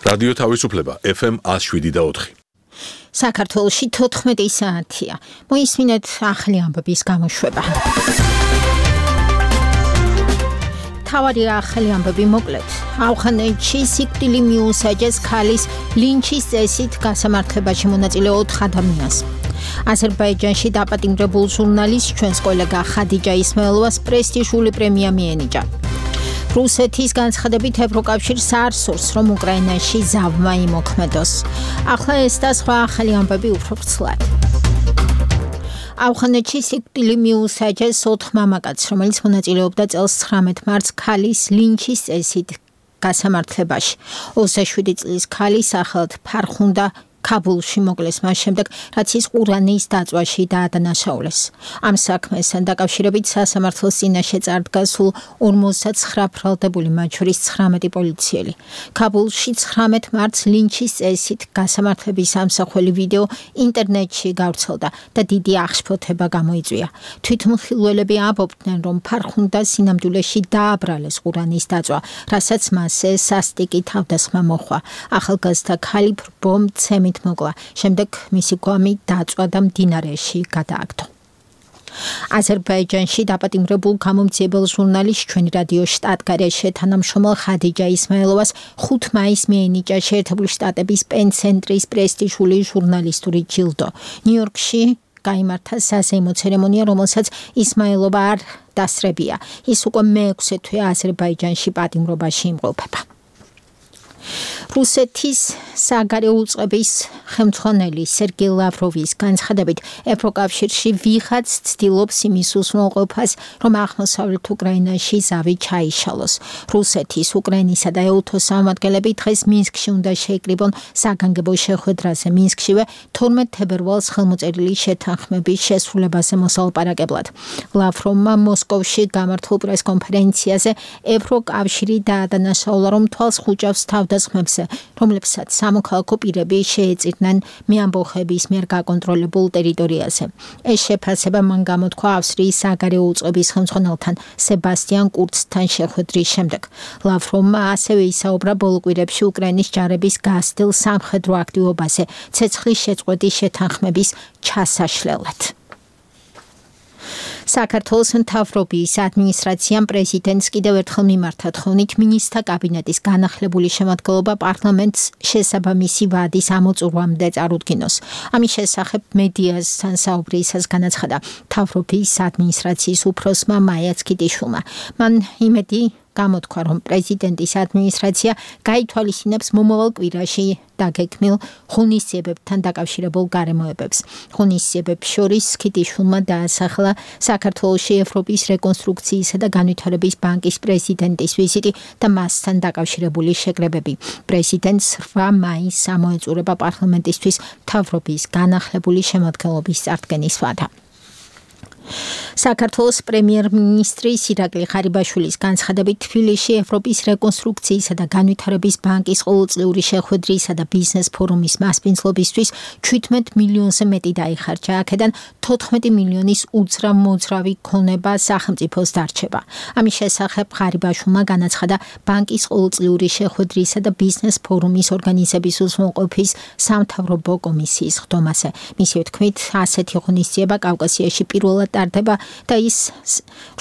რადიო თავისუფლება FM 107.4. საქართველოში 14 საათია. მოისმინეთ ახალი ამბების გამოშვება. თავარი ახალი ამბები მოკლედ. ავღანეთში სიკვდილი მიუსაჯეს ქალის ლინჩის წესით გასამართლებაში მონაწილე 4 ადამიანს. აზერბაიჯანში დაპატიმრებულ ჟურნალისტს ჩვენს კოლეგა ხადიჯა ისმაილოვას პრესტიჟული პრემია მიენიჭა. რუსეთის განცხადებით ევროკავშირს არ სურს, რომ უკრაინაში ზავმა იმოქმედოს. ახლა ეს და სხვა ახალი ამბები უფრო ვრცლად. ავღანეთში სიკვდილი მიუსაჯეს 4 მამაკაცს, რომელიც მონაწილეობდა წელს 19 მარტს ქალის ლინჩის წესით გასამართლებაში. 27 წლის ქალი სახელად ფარხუნდა ქაბულში მოკლეს მას შემდეგ, რაც ის ყურანის დაწვაში დაადანაშაულეს. ამ საქმესთან დაკავშირებით სასამართლოს წინაშე წარდგა სულ 59 ბრალდებული, მათ შორის 19 პოლიციელი. ქაბულში 19 მარტს ლინჩის წესით გასამართლების ამსახველი ვიდეო ინტერნეტში გავრცელდა და დიდი აღშფოთება გამოიწვია. თვითმხილველები ამბობდნენ, რომ ფარხუნდა სინამდვილეში დააბრალეს ყურანის დაწვა, რასაც მასზე სასტიკი თავდასხმა მოჰყვა. ახალგაზრდა ქალი ბომბცემით მოკლა, შემდეგ მისი გვამი დაწვა და მდინარეში გადააგდო. აზერბაიჯანში დაპატიმრებულ გამომძიებელ ჟურნალისტს ჩვენი რადიო შტატგარეშე თანამშრომელ ხადიჯა ისმაილოვას 5 მაისს მიენიჭა შეერთებული შტატების პენ-ცენტრის პრესტიჟული ჟურნალისტური ჯილდო. ნიუ-იორკში გაიმართა საზეიმო ცერემონია, რომელსაც ისმაილოვა არ დასწრებია. ის უკვე მე-6 თვე აზერბაიჯანში პატიმრობაში იმყოფება. რუსეთის საგარეო უწყების ხელმძღვანელი სერგეი ლავროვის განცხადებით, ევროკავშირში ვიღაც ცდილობს იმის უზრუნველყოფას, რომ აღმოსავლეთ უკრაინაში ზავი ჩაიშალოს. რუსეთის, უკრაინისა და ეუთოს წარმომადგენლები დღეს მინსკში უნდა შეიკრიბონ საგანგებო შეხვედრაზე. მინსკშივე 12 თებერვალს ხელმოწერილი შეთანხმების შესრულებაზე მოსალაპარაკებლად. ლავროვმა მოსკოვში გამართულ პრესკონფერენციაზე ევროკავშირი დაადანაშაულა, რომ თვალს ხუჭავს თავდასხმებს, რომლებსაც სამოქალაქო პირები შეეწირნენ მეამბოხების მიერ გაკონტროლებულ ტერიტორიაზე. ეს შეფასება მან გამოთქვა ავსტრიის საგარეო უწყების ხელმძღვანელთან სებასტიან კურცთან შეხვედრის შემდეგ. ლავროვმა ასევე ისაუბრა ბოლო კვირებში უკრაინის ჯარების გასცდილ სამხედრო აქტივობაზე ცეცხლის შეწყვეტის შეთანხმების ჩასაშლელად. საქართველოს მთავრობის ადმინისტრაციამ პრეზიდენტს კიდევ ერთხელ მიმართა თხოვნით მინისტრთა კაბინეტის განახლებული შემადგენლობა პარლამენტს შესაბამისი ვადის ამოწურვამდე წარუდგინოს. ამის შესახებ მედიასთან საუბრისას განაცხადა მთავრობის ადმინისტრაციის უფროსმა მაია ცქიტიშვილმა. მან იმედი გამოთქვა, რომ პრეზიდენტის ადმინისტრაცია გაითვალისწინებს მომავალ კვირაში დაგეგმილ ღონისძიებებთან დაკავშირებულ გარემოებებს. ღონისძიებებს შორის ცქიტიშვილმა დაასახელა საქართველოში ევროპის რეკონსტრუქციისა და განვითარების ბანკის პრეზიდენტის ვიზიტი და მასთან დაკავშირებული შეკრებები. პრეზიდენტს 8 მაისს ამოეწურება პარლამენტისთვის მთავრობის განახლებული შემადგენლობის წარდგენის ვადა. საქართველოს პრემიერ-მინისტრი ირაკლი ღარიბაშვილის განცხადებით, თბილისში ევროპის რეკონსტრუქციისა და განვითარების ბანკის ყოველწლიური შეხვედრისა და ბიზნეს ფორუმის მასპინძლობისთვის 17 მილიონზე მეტი დაიხარჯა. აქედან 14 მილიონის უძრავ-მოძრავი ქონება სახელმწიფოს დარჩება. ამის შესახებ ღარიბაშვილმა განაცხადა ბანკის ყოველწლიური შეხვედრისა და ბიზნეს ფორუმის ორგანიზების უზრუნველყოფის სამთავრობო კომისიის ხდომაზე. მისივე თქმით, ასეთი ღონისძიება კავკასიაში პირველად ტარდება და ის,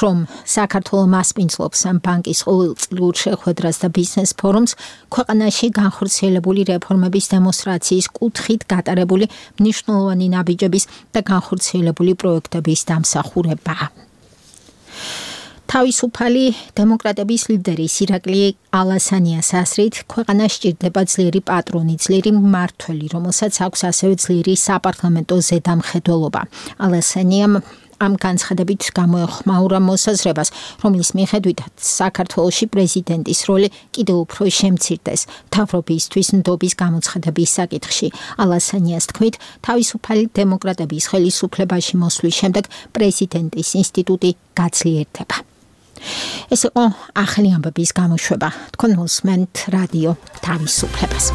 რომ საქართველოს მასპინძლობს ამ ბანკის ყოველწლიურ შეხვედრას და ბიზნეს ფორუმს, ქვეყანაში განხორციელებული რეფორმების დემონსტრაციის კუთხით გატარებული მნიშვნელოვანი ნაბიჯების და განხორციელებული პროექტების დამსახურებაა. თავისუფალი დემოკრატების ლიდერის ირაკლი ალასანიას აზრით, ქვეყანას სჭირდება ძლიერი პატრონი, ძლიერი მმართველი, რომელსაც აქვს ასევე ძლიერი საპარლამენტო ზედამხედველობა. ალასანიამ ამ განცხადებით გამოეხმაურა მოსაზრებას, რომლის მიხედვითაც საქართველოში პრეზიდენტის როლი კიდევ უფრო შემცირდეს მთავრობისთვის ნდობის გამოცხადების საკითხში. ალასანიას თქმით, თავისუფალი დემოკრატების ხელისუფლებაში მოსვლის შემდეგ პრეზიდენტის ინსტიტუტი გაძლიერდება. ეს იყო ახალი ამბების გამოშვება. თქვენ მოსმენთ რადიო თავისუფლებას.